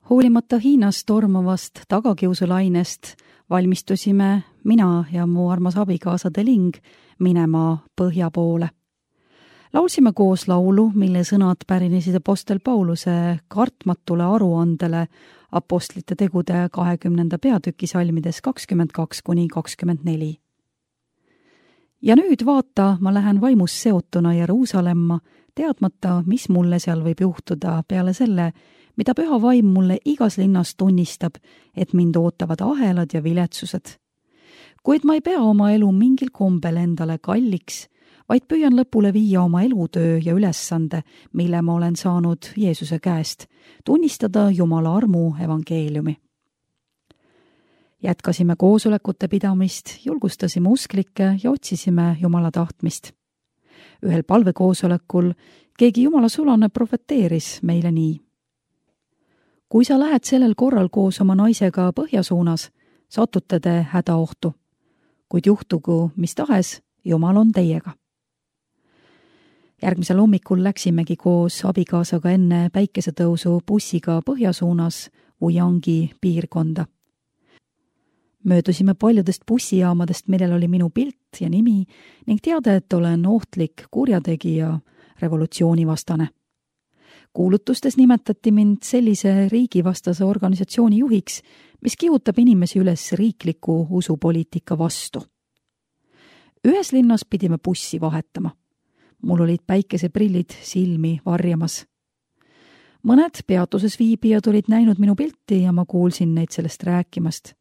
Hoolimata Hiinas tormavast tagakiusulainest valmistusime mina ja mu armas abikaasa Deling minema põhja poole. Laulsime koos laulu, mille sõnad pärinesid apostel Pauluse kartmatule aruandele apostlite tegude 20. peatüki salmides 22–24. Ja nüüd vaata, ma lähen vaimus seotuna Jeruusalemma, teadmata, mis mulle seal võib juhtuda peale selle, mida püha vaim mulle igas linnas tunnistab, et mind ootavad ahelad ja viletsused. Kuid ma ei pea oma elu mingil kombel endale kalliks, vaid püüan lõpule viia oma elutöö ja ülesande, mille ma olen saanud Jeesuse käest, tunnistada Jumala armu evangeeliumi. Jätkasime koosolekute pidamist, julgustasime usklikke ja otsisime Jumala tahtmist. Ühel palvekoosolekul keegi Jumala sulane profeteeris meile nii. Kui sa lähed sellel korral koos oma naisega põhja suunas, satute te hädaohtu. Kuid juhtugu mis tahes, Jumal on teiega. Järgmisel hommikul läksimegi koos abikaasaga enne päikesetõusu bussiga põhja suunas Wuyangi piirkonda. Möödusime paljudest bussijaamadest, millel oli minu pilt ja nimi ning teada, et olen ohtlik kurjategija, revolutsioonivastane. Kuulutustes nimetati mind sellise riigivastase organisatsiooni juhiks, mis kihutab inimesi üles riikliku usupoliitika vastu. Ühes linnas pidime bussi vahetama. Mul olid päikeseprillid silmi varjamas. Mõned peatuses viibijad olid näinud minu pilti ja ma kuulsin neid sellest rääkimast.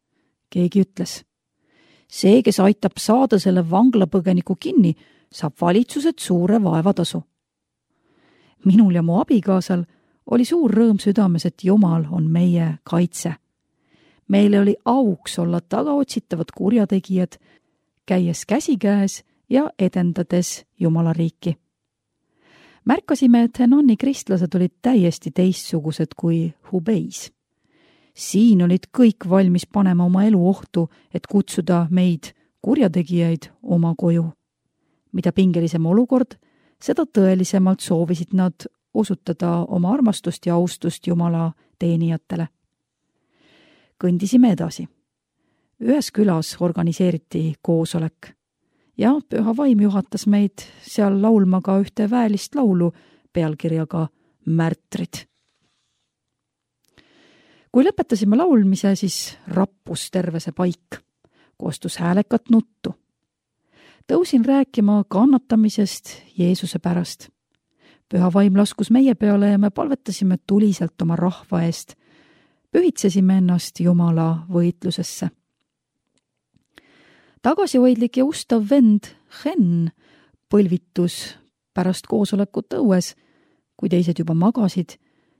Keegi ütles, see, kes aitab saada selle vanglapõgeniku kinni, saab valitsuselt suure vaevatasu. Minul ja mu abikaasal oli suur rõõm südames, et Jumal on meie kaitse. Meile oli auks olla tagaotsitavad kurjategijad, käies käsikäes ja edendades Jumala riiki. Märkasime, et Henoni kristlased olid täiesti teistsugused kui Hubeis. Siin olid kõik valmis panema oma elu ohtu, et kutsuda meid, kurjategijaid, oma koju. Mida pingelisem olukord, seda tõelisemalt soovisid nad osutada oma armastust ja austust Jumala teenijatele. Kõndisime edasi. Ühes külas organiseeriti koosolek ja püha vaim juhatas meid seal laulma ka ühte väelist laulu pealkirjaga Märtrid. Kui lõpetasime laulmise, siis rappus terve see paik, koostus häälekat nuttu. Tõusin rääkima kannatamisest Jeesuse pärast. Püha vaim laskus meie peale ja me palvetasime tuliselt oma rahva eest. Pühitsesime ennast Jumala võitlusesse. Tagasihoidlik ja ustav vend Hen põlvitus pärast koosolekut õues, kui teised juba magasid,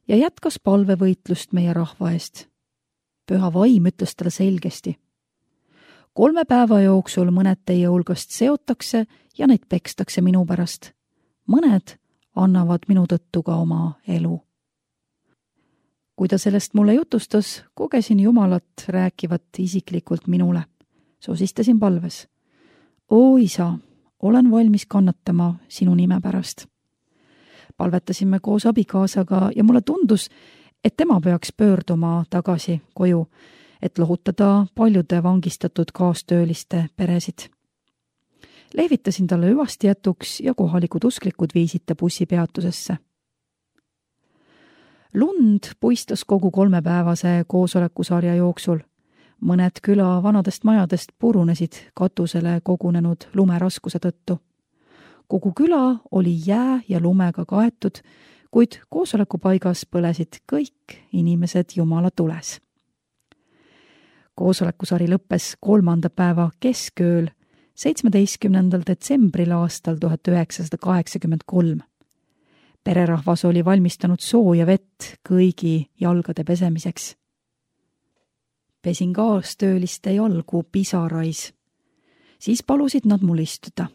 ja jätkas palvevõitlust meie rahva eest. Püha vaim ütles talle selgesti. 3 päeva jooksul mõned teie hulgast seotakse ja neid pekstakse minu pärast. Mõned annavad minu tõttu ka oma elu. Kui ta sellest mulle jutustas, kogesin Jumalat rääkivat isiklikult minule. Sosistasin palves. O isa, olen valmis kannatama sinu nime pärast. Palvetasime koos abikaasaga ja mulle tundus, et tema peaks pöörduma tagasi koju, et lohutada paljude vangistatud kaastööliste peresid. Lehvitasin talle hüvasti jätuks ja kohalikud usklikud viisid ta bussipeatusesse. Lund puistas kogu 3-päevase koosolekusarja jooksul. Mõned küla vanadest majadest purunesid katusele kogunenud lumeraskuse tõttu. Kogu küla oli jää ja lumega kaetud, kuid koosolekupaigas põlesid kõik inimesed Jumala tules. Koosolekusari lõppes 3. päeva keskööl 17. detsembril aastal 1983. Pererahvas oli valmistanud sooja vett kõigi jalgade pesemiseks. Pesin kaastööliste jalgu pisarais. Siis palusid nad mul istuda.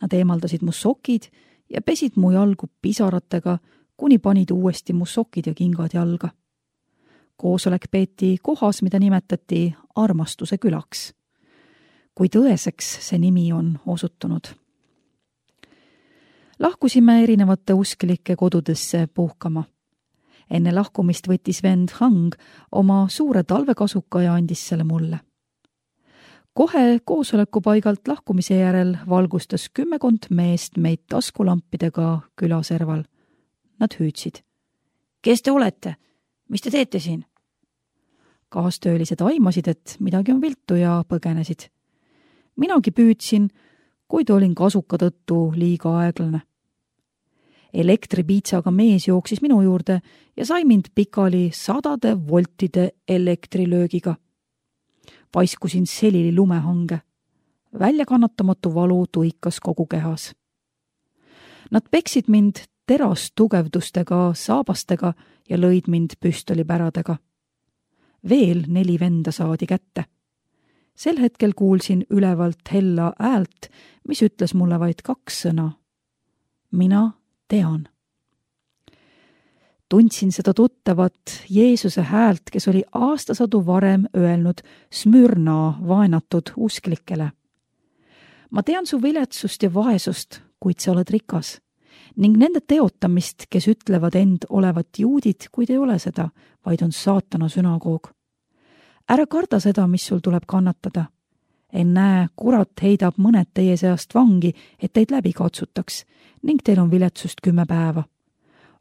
Nad eemaldasid mu sokid ja pesid mu jalgu pisaratega, kuni panid uuesti mu sokid ja kingad jalga. Koosolek peeti kohas, mida nimetati Armastuse külaks. Kui tõeseks see nimi on osutunud. Lahkusime erinevate usklike kodudesse puhkama. Enne lahkumist võttis vend Hang oma suure talvekasuka ja andis selle mulle. Kohe koosolekupaigalt lahkumise järel valgustas 10 meest meid taskulampidega külaserval. Nad hüüdsid. Kes te olete? Mis te teete siin? Kaastöölised aimasid, et midagi on viltu ja põgenesid. Minagi püüdsin, kuid olin kasuka tõttu liiga aeglane. Elektripiitsaga mees jooksis minu juurde ja sai mind pikali 100 voltide elektrilöögiga. Paiskusin selili lumehange. Väljakannatamatu valu tuikas kogu kehas. Nad peksid mind terastugevdustega, saabastega ja lõid mind püstolipäradega. Veel 4 venda saadi kätte. Sel hetkel kuulsin ülevalt hella häält, mis ütles mulle vaid 2 sõna. Mina tean. Tundsin seda tuttavat Jeesuse häält, kes oli aastasadu varem öelnud Smürna vaenatud usklikele. Ma tean su viletsust ja vaesust, kuid sa oled rikas, ning nende teotamist, kes ütlevad end olevat juudid, kuid ei ole seda, vaid on saatana sünagoog. Ära karda seda, mis sul tuleb kannatada. Ennäe, kurat heidab mõned teie seast vangi, et teid läbi katsutaks, ning teil on viletsust 10 päeva.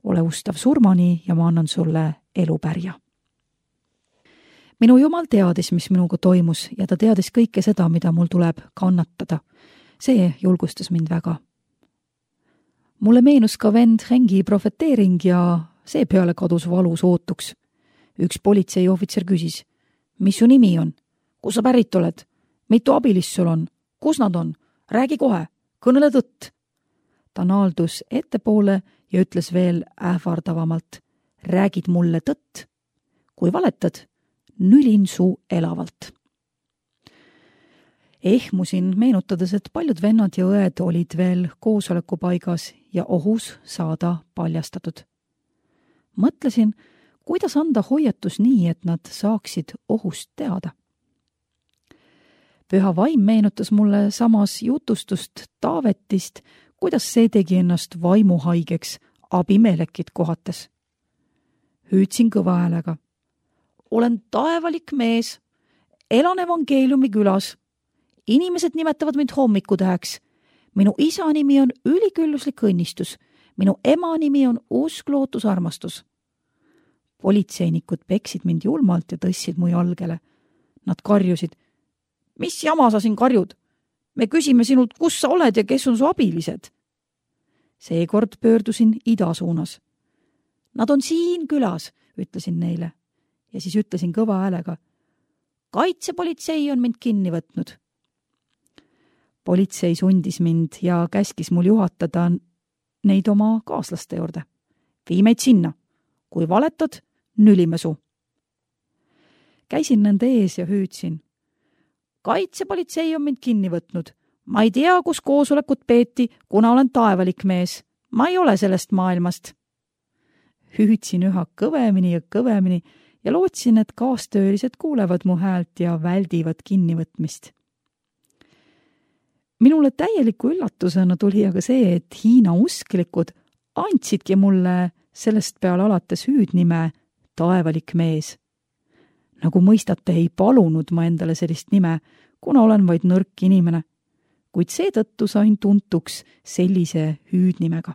Ole ustav surmani ja ma annan sulle elupärja. Minu Jumal teadis, mis minuga toimus ja ta teadis kõike seda, mida mul tuleb kannatada. See julgustas mind väga. Mulle meenus ka vend Hengi profeteering ja seepeale kadus valus ootuks. Üks politseiohvitser küsis, mis su nimi on? Kus sa pärit oled? Mitu abilist sul on? Kus nad on? Räägi kohe, kõnele tõtt. Ta naaldus ettepoole ja ütles veel ähvardavamalt, räägid mulle tõtt. Kui valetad, nülin su elavalt. Ehmusin, meenutades, et paljud vennad ja õed olid veel koosolekupaigas ja ohus saada paljastatud. Mõtlesin, kuidas anda hoiatus nii, et nad saaksid ohust teada. Püha vaim meenutas mulle samas jutustust Taavetist, kuidas see tegi ennast vaimuhaigeks Abimelekit kohates. Hüüdsin kõva häälega. Olen taevalik mees, elan evangeeliumi külas. Inimesed nimetavad mind hommikutäheks. Minu isa nimi on ülikülluslik õnnistus. Minu ema nimi on usk, lootus, armastus. Politseinikud peksid mind julmalt ja tõssid mu jalgele. Nad karjusid. Mis jama sa siin karjud? Me küsime sinult, kus sa oled ja kes on su abilised? Seekord pöördusin ida suunas. Nad on siin külas, ütlesin neile. Ja siis ütlesin kõva häälega. Kaitsepolitsei on mind kinni võtnud. Politsei sundis mind ja käskis mul juhatada neid oma kaaslaste juurde. Vii meid sinna. Kui valetad, nülime su. Käisin nende ees ja hüüdsin. Kaitsepolitsei on mind kinni võtnud. Ma ei tea, kus koosolekut peeti, kuna olen taevalik mees. Ma ei ole sellest maailmast. Hüüdsin üha kõvemini ja lootsin, et kaastöölised kuulevad mu häält ja väldivad kinnivõtmist. Minule täieliku üllatusena tuli aga see, et Hiina usklikud andsidki mulle sellest peale alates hüüdnime taevalik mees. Nagu mõistate, ei palunud ma endale sellist nime, kuna olen vaid nõrk inimene, kuid seetõttu sain tuntuks sellise hüüdnimega.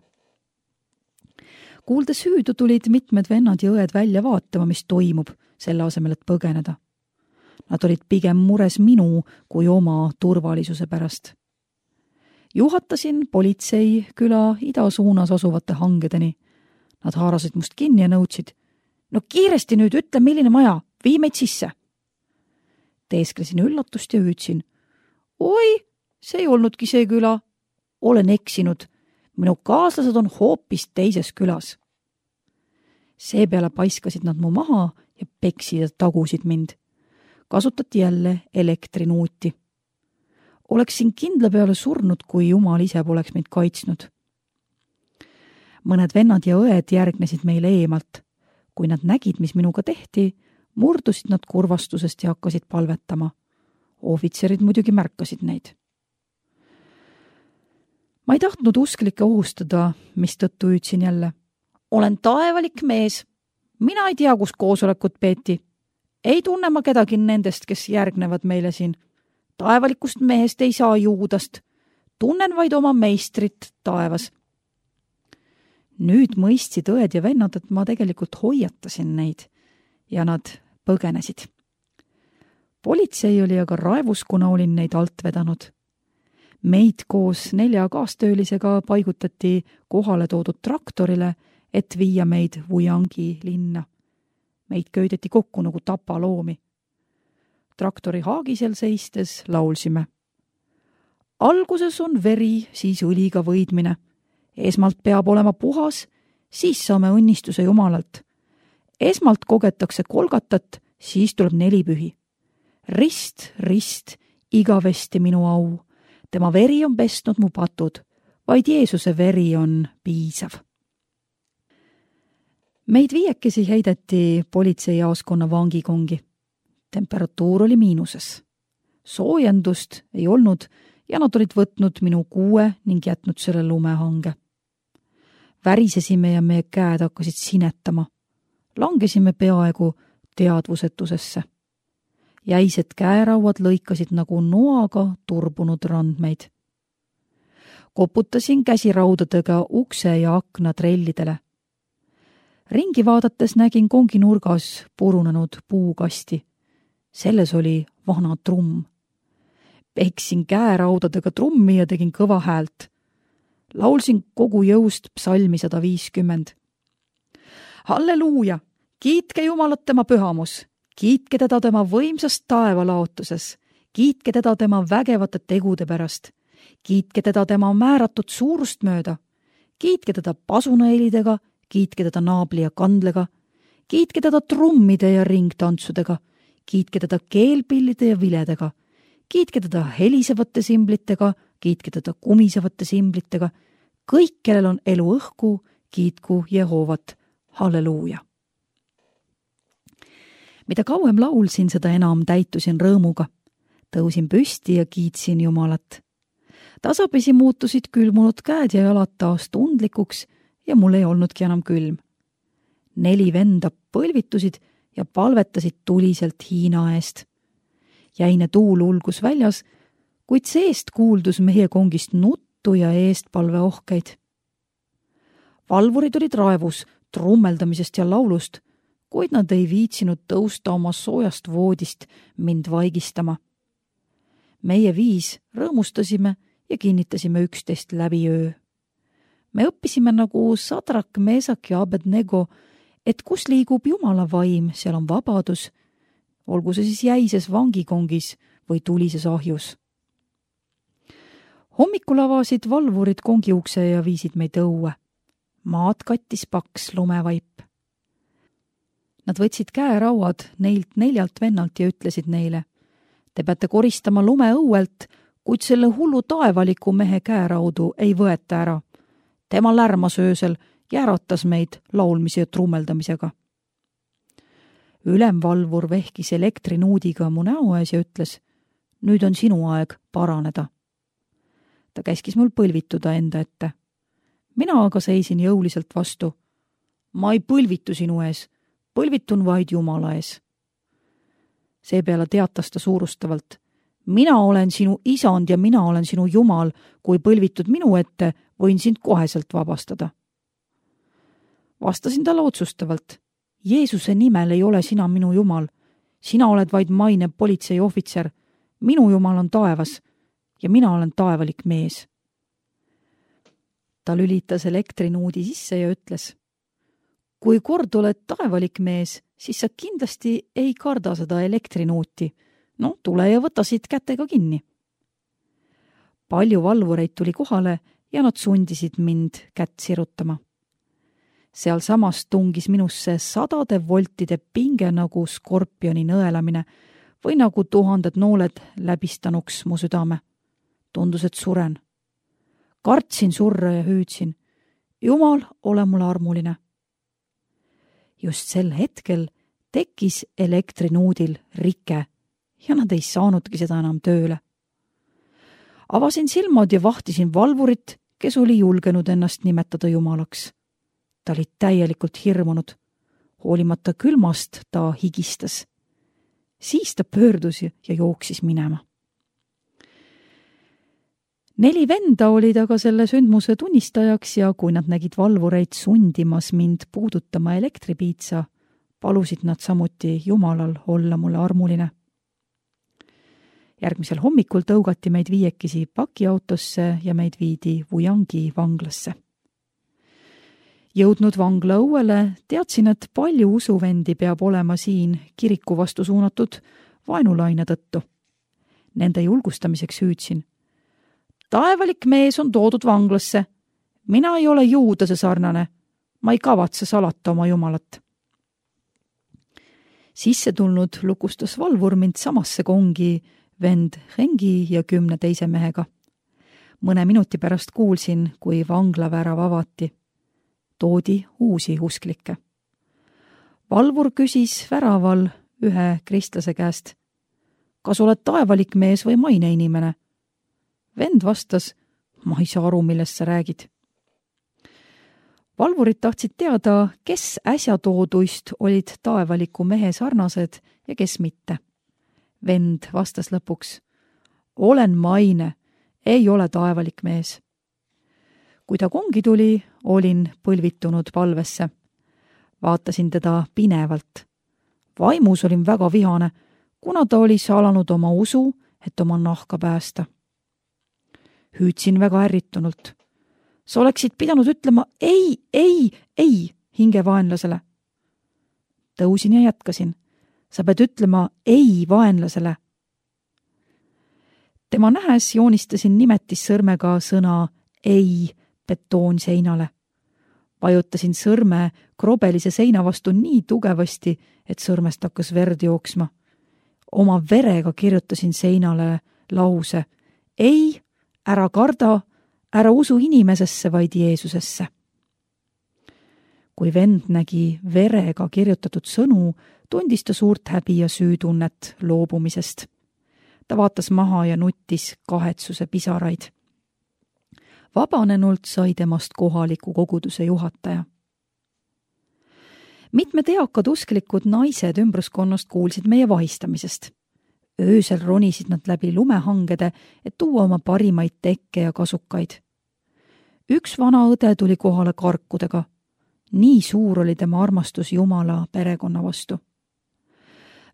Kuuldes hüüdu tulid mitmed vennad ja õed välja vaatama, mis toimub, selle asemel, et põgeneda. Nad olid pigem mures minu kui oma turvalisuse pärast. Juhatasin politsei küla idasuunas asuvate hangedeni. Nad haarasid must kinni ja nõudsid. No kiiresti nüüd, ütle, milline maja, vii meid sisse. Teesklesin üllatust ja hüüdsin. Oi, see ei olnudki see küla. Olen eksinud. Minu kaaslased on hoopis teises külas. Seepeale paiskasid nad mu maha ja peksid ja tagusid mind. Kasutati jälle elektrinuuti. Oleksin kindla peale surnud, kui Jumal ise poleks meid kaitsnud. Mõned vennad ja õed järgnesid meile eemalt. Kui nad nägid, mis minuga tehti, murdusid nad kurvastusest ja hakkasid palvetama. Ohvitserid muidugi märkasid neid. Ma ei tahtnud usklikke ohustada, mistõttu hüüdsin jälle. Olen taevalik mees. Mina ei tea, kus koosolekut peeti. Ei tunne ma kedagi nendest, kes järgnevad meile siin. Taevalikust mehest ei saa juudast. Tunnen vaid oma meistrit taevas. Nüüd mõistsid õed ja vennad, et ma tegelikult hoiatasin neid ja nad põgenesid. Politsei oli aga raevus, kuna olin neid alt vedanud. Meid koos 4 kaastöölisega paigutati kohale toodud traktorile, et viia meid Wuyangi linna. Meid köideti kokku nagu tapaloomi. Traktori haagisel seistes laulsime. Alguses on veri, siis õliga võidmine. Esmalt peab olema puhas, siis saame õnnistuse Jumalalt. Esmalt kogetakse kolgatat, siis tuleb 4 pühi. Rist, rist, igavesti minu au. Tema veri on pestnud mu patud, vaid Jeesuse veri on piisav. Meid 5 heideti politseijaoskonna vangikongi. Temperatuur oli miinuses. Soojendust ei olnud ja nad olid võtnud minu kuue ning jätnud selle lumehange. Värisesime ja meie käed hakkasid sinetama. Langesime peaaegu teadvusetusesse. Jäised käerauad lõikasid nagu noaga turbunud randmeid. Koputasin käsiraudadega ukse ja akna trellidele. Ringi vaadates nägin kongi nurgas purunenud puukasti. Selles oli vana trumm. Peksin käeraudadega trummi ja tegin kõva häält. Laulsin kogu jõust psalmi 150. Halleluuja! Kiitke Jumalat tema pühamus! Kiitke teda tema võimsast taevalaotuses! Kiitke teda tema vägevate tegude pärast! Kiitke teda tema määratud suurust mööda! Kiitke teda pasunahelidega! Kiitke teda naabli ja kandlega! Kiitke teda trummide ja ringtantsudega! Kiitke teda keelpillide ja viledega! Kiitke teda helisevate simblitega! Kiitke teda kumisevate simblitega! Kõik, kellel on elu õhku, kiitku Jehovat! Halleluuja! Mida kauem laulsin, seda enam täitusin rõõmuga. Tõusin püsti ja kiitsin Jumalat. Tasapisi muutusid külmunud käed ja jalad taas tundlikuks ja mul ei olnudki enam külm. 4 venda põlvitusid ja palvetasid tuliselt Hiina eest. Jäine tuul ulgus väljas, kuid seest kuuldus meie kongist nuttu ja eestpalveohkeid. Valvurid olid raevus trummeldamisest ja laulust, kuid nad ei viitsinud tõusta oma soojast voodist mind vaigistama. Meie 5 rõõmustasime ja kinnitasime üksteist läbi öö. Me õppisime nagu Sadrak, Meesak ja Abednego, et kus liigub Jumala vaim, seal on vabadus, olgu see siis jäises vangikongis või tulises ahjus. Hommikul avasid valvurid kongi ukse ja viisid meid õue. Maad kattis paks lumevaip. Nad võtsid käerauad neilt 4 vennalt ja ütlesid neile, te peate koristama lume õuelt, kuid selle hullu taevaliku mehe käeraudu ei võeta ära. Tema lärmas öösel ja äratas meid laulmise ja trummeldamisega. Ülemvalvur vehkis elektrinuudiga mu näo ees ja ütles, nüüd on sinu aeg paraneda. Ta käskis mul põlvituda enda ette. Mina aga seisin jõuliselt vastu. Ma ei põlvitu sinu ees, põlvitun vaid Jumala ees. Seepeale teatas ta suurustavalt. Mina olen sinu isand ja mina olen sinu Jumal, kui põlvitud minu ette, võin sind koheselt vabastada. Vastasin talle otsustavalt. Jeesuse nimel ei ole sina minu Jumal. Sina oled vaid maine politseiohvitser. Minu Jumal on taevas ja mina olen taevalik mees. Ta lülitas elektrinuudi sisse ja ütles, kui kord oled taevalik mees, siis sa kindlasti ei karda seda elektrinuuti. No, tule ja võta siit kätega kinni. Palju valvureid tuli kohale ja nad sundisid mind kätt sirutama. Seal samas tungis minusse 100 voltide pinge nagu skorpioni nõelamine või nagu 1000 nooled läbistanuks mu südame. Tundus, et suren. Kartsin surra ja hüüdsin, Jumal, ole mulle armuline. Just sel hetkel tekkis elektrinuudil rike ja nad ei saanudki seda enam tööle. Avasin silmad ja vahtisin valvurit, kes oli julgenud ennast nimetada Jumalaks. Ta oli täielikult hirmunud. Hoolimata külmast ta higistas. Siis ta pöördus ja jooksis minema. 4 venda olid aga selle sündmuse tunnistajaks ja kui nad nägid valvureid sundimas mind puudutama elektripiitsa, palusid nad samuti Jumalal olla mulle armuline. Järgmisel hommikul tõugati meid 5 pakiautosse ja meid viidi Wuyangi vanglasse. Jõudnud vangla õuele, teadsin, et palju usuvendi peab olema siin kiriku vastu suunatud vaenulaine tõttu. Nende julgustamiseks hüüdsin. Taevalik mees on toodud vanglasse. Mina ei ole juudase sarnane. Ma ei kavatse salata oma Jumalat. Sisse tulnud lukustas valvur mind samasse kongi vend Hengi ja 10 teise mehega. Mõne minuti pärast kuulsin, kui vanglavärav avati. Toodi uusi usklikke. Valvur küsis väraval ühe kristlase käest. Kas oled taevalik mees või maine inimene? Vend vastas, ma ei saa aru, millest sa räägid. Valvurid tahtsid teada, kes äsja tooduist olid taevaliku mehe sarnased ja kes mitte. Vend vastas lõpuks, olen maine, ei ole taevalik mees. Kui ta kongi tuli, olin põlvitunud palvesse. Vaatasin teda pinevalt. Vaimus olin väga vihane, kuna ta oli salanud oma usu, et oma nahka päästa. Hüüdsin väga ärritunult. Sa oleksid pidanud ütlema ei hingevaenlasele. Tõusin ja jätkasin. Sa pead ütlema ei vaenlasele. Tema nähes joonistasin nimetissõrmega sõna ei betoonseinale. Vajutasin sõrme krobelise seina vastu nii tugevasti, et sõrmest hakkas verd jooksma. Oma verega kirjutasin seinale lause ei, ära karda, ära usu inimesesse, vaid Jeesusesse. Kui vend nägi verega kirjutatud sõnu, tundis ta suurt häbi ja süütunnet loobumisest. Ta vaatas maha ja nuttis kahetsuse pisaraid. Vabanenult sai temast kohaliku koguduse juhataja. Mitmed eakad usklikud naised ümbruskonnast kuulsid meie vahistamisest. Öösel ronisid nad läbi lumehangede, et tuua oma parimaid tekke ja kasukaid. Üks vana õde tuli kohale karkudega. Nii suur oli tema armastus Jumala perekonna vastu.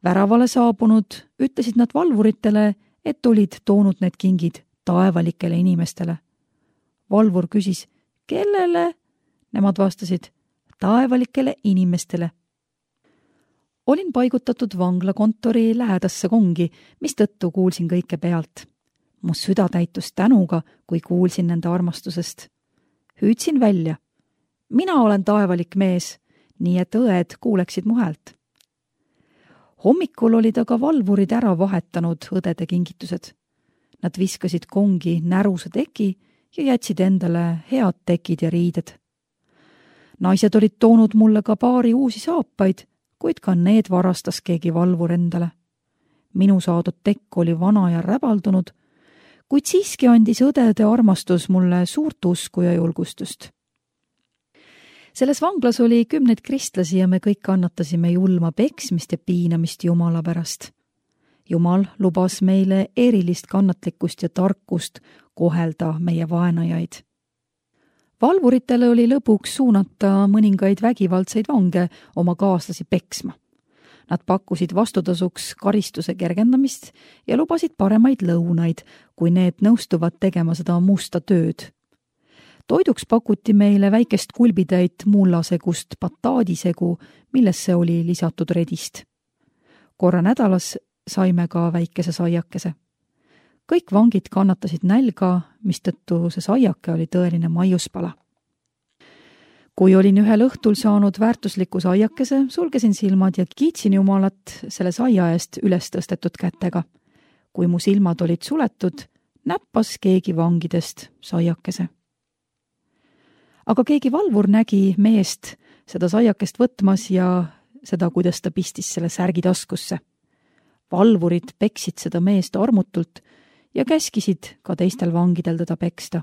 Väravale saabunud ütlesid nad valvuritele, et olid toonud need kingid taevalikele inimestele. Valvur küsis, kellele? Nemad vastasid, taevalikele inimestele. Olin paigutatud vanglakontori lähedasse kongi, mistõttu kuulsin kõike pealt. Mu süda täitus tänuga, kui kuulsin nende armastusest. Hüüdsin välja. Mina olen taevalik mees, nii et õed kuuleksid mu häält. Hommikul olid aga valvurid ära vahetanud õdede kingitused. Nad viskasid kongi näruse teki ja jätsid endale head tekid ja riided. Naised olid toonud mulle ka paari uusi saapaid, kuid ka need varastas keegi valvur endale. Minu saadud tekk oli vana ja räbaldunud, kuid siiski andis õdede armastus mulle suurt usku ja julgustust. Selles vanglas oli 10 kristlasi ja me kõik kannatasime julma peksmist ja piinamist Jumala pärast. Jumal lubas meile erilist kannatlikkust ja tarkust kohelda meie vaenajaid. Valvuritele oli lõpuks suunata mõningaid vägivaldseid vange oma kaaslasi peksma. Nad pakkusid vastutasuks karistuse kergendamist ja lubasid paremaid lõunaid, kui need nõustuvad tegema seda musta tööd. Toiduks pakuti meile väikest kulbitäit mullasegust bataadisegu, millesse oli lisatud redist. Korra nädalas saime ka väikese saiakese. Kõik vangid kannatasid nälga, mistõttu see saiake oli tõeline maiuspala. Kui olin ühel õhtul saanud väärtusliku saiakese, sulgesin silmad ja kiitsin Jumalat selle saia eest üles tõstetud kätega. Kui mu silmad olid suletud, näppas keegi vangidest saiakese. Aga keegi valvur nägi meest seda saiakest võtmas ja seda, kuidas ta pistis selle särgi taskusse. Valvurid peksid seda meest armutult ja käskisid ka teistel vangidel teda peksta.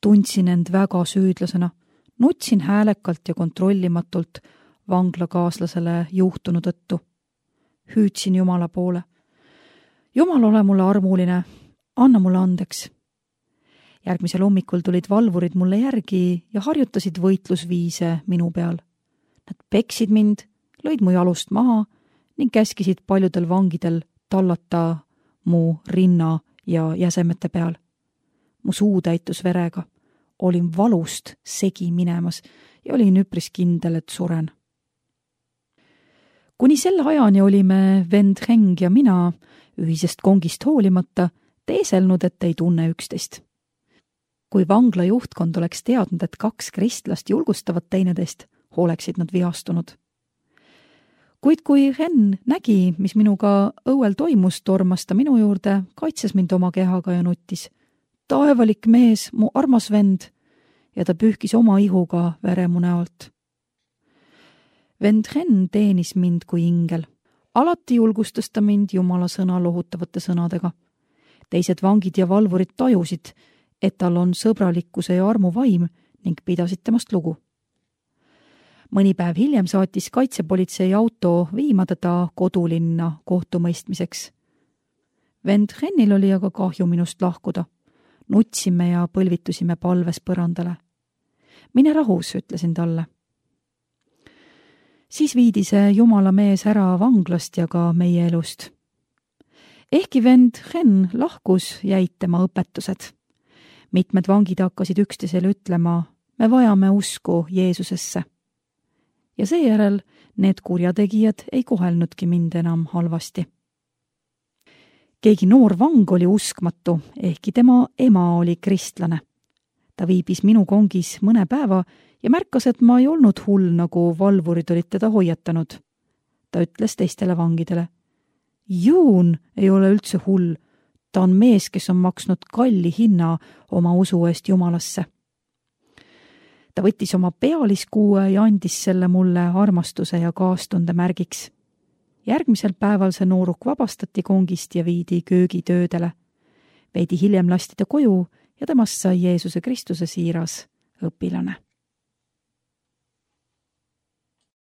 Tundsin end väga süüdlasena, nutsin häälekalt ja kontrollimatult, vanglakaaslasele juhtunu tõttu. Hüüdsin Jumala poole. Jumal, ole mulle armuline, anna mulle andeks. Järgmisel hommikul tulid valvurid mulle järgi ja harjutasid võitlusviise minu peal. Nad peksid mind, lõid mu jalust maha ning käskisid paljudel vangidel tallata mu rinna ja jäsemete peal. Mu suu täitus verega. Olin valust segi minemas ja olin üpris kindel, et suren. Kuni selle ajani olime vend Heng ja mina ühisest kongist hoolimata teeselnud, et ei tunne üksteist. Kui vangla juhtkond oleks teadnud, et 2 kristlast julgustavad teineteist, oleksid nad vihastunud. Kuid kui Hen nägi, mis minuga õuel toimus, tormas ta minu juurde, kaitses mind oma kehaga ja nuttis. Taevalik mees, mu armas vend, ja ta pühkis oma ihuga vere mu näolt. Vend Hen teenis mind kui ingel. Alati julgustas ta mind Jumala sõna lohutavate sõnadega. Teised vangid ja valvurid tajusid, et tal on sõbralikkuse ja armu vaim ning pidasid temast lugu. Mõni päev hiljem saatis kaitsepolitsei auto viima teda kodulinna kohtumõistmiseks. Vend Hennil oli aga kahju minust lahkuda. Nutsime ja põlvitusime palves põrandale. Mine rahus, ütlesin talle. Siis viidi see Jumala mees ära vanglast ja ka meie elust. Ehkki vend Hen lahkus, jäid tema õpetused. Mitmed vangid hakkasid üksteisele ütlema, me vajame usku Jeesusesse. Ja seejärel need kurjategijad ei kohelnudki mind enam halvasti. Keegi noor vang oli uskmatu, ehkki tema ema oli kristlane. Ta viibis minu kongis mõne päeva ja märkas, et ma ei olnud hull, nagu valvurid olid teda hoiatanud. Ta ütles teistele vangidele. Juun ei ole üldse hull. Ta on mees, kes on maksnud kalli hinna oma usu eest Jumalasse. Ta võttis oma pealiskuue ja andis selle mulle armastuse ja kaastunde märgiks. Järgmisel päeval see nooruk vabastati kongist ja viidi köögitöödele. Veidi hiljem lasti ta koju ja temast sai Jeesuse Kristuse siiras õpilane.